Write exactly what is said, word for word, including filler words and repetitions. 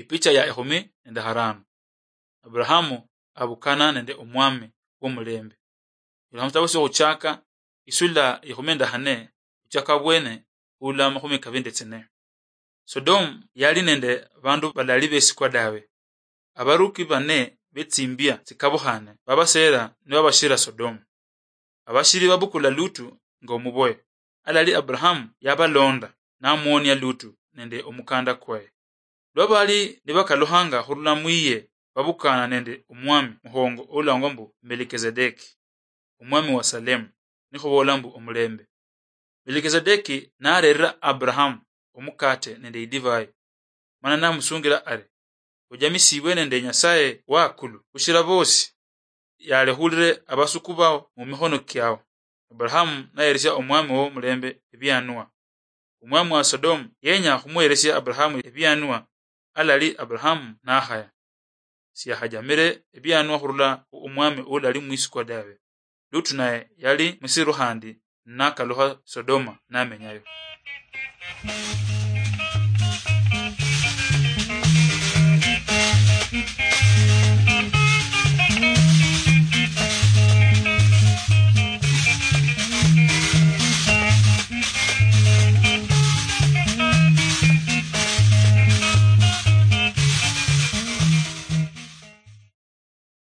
Ipicha ya ekhumi nende harano. Abrahamu abukana nende omwami womulembe. Ilakha musitabo syohuchaka, isula ikhumi nende hane, huchaka bwene, hula makhumi kabili nende tsine. Sodomu yali nende bandu balali besikwa dawe. Abaruki bane betsimbia tsikabukhane babasera nibabashira Sodomu. Abashiri babukula Lutu nga omuboye. Alali Abrahamu yabalonda, namuonia Lutu nende omukanda kwaye. Lwa bali nibakaluhanga hurula mwiye, babukana nende omwami muhongo oulangwa mbu Melkizedeki, omwami wa Salemu, nikhubola mbu omulembe. Melkizedeki narerera Abrahamu omukate nende idivai, mana namusungila ari, "Ojamisibwe nende Nyasaye wa akulu hushira bosi, yalehulire abasuku bao mumikhono kiao." Abrahamu nayeresia omwami wo mulembe ebianwa. Omwami wa Sodomu yenya khumuheresia Abrahamu ebianwa, alali Abrahamu nahaya. Siyakhajamire ebianwa khurula khu omwami ulali mwisikwa dawe. Lutu naye yali musiru khandi, nakalukha Sodoma namenyayo.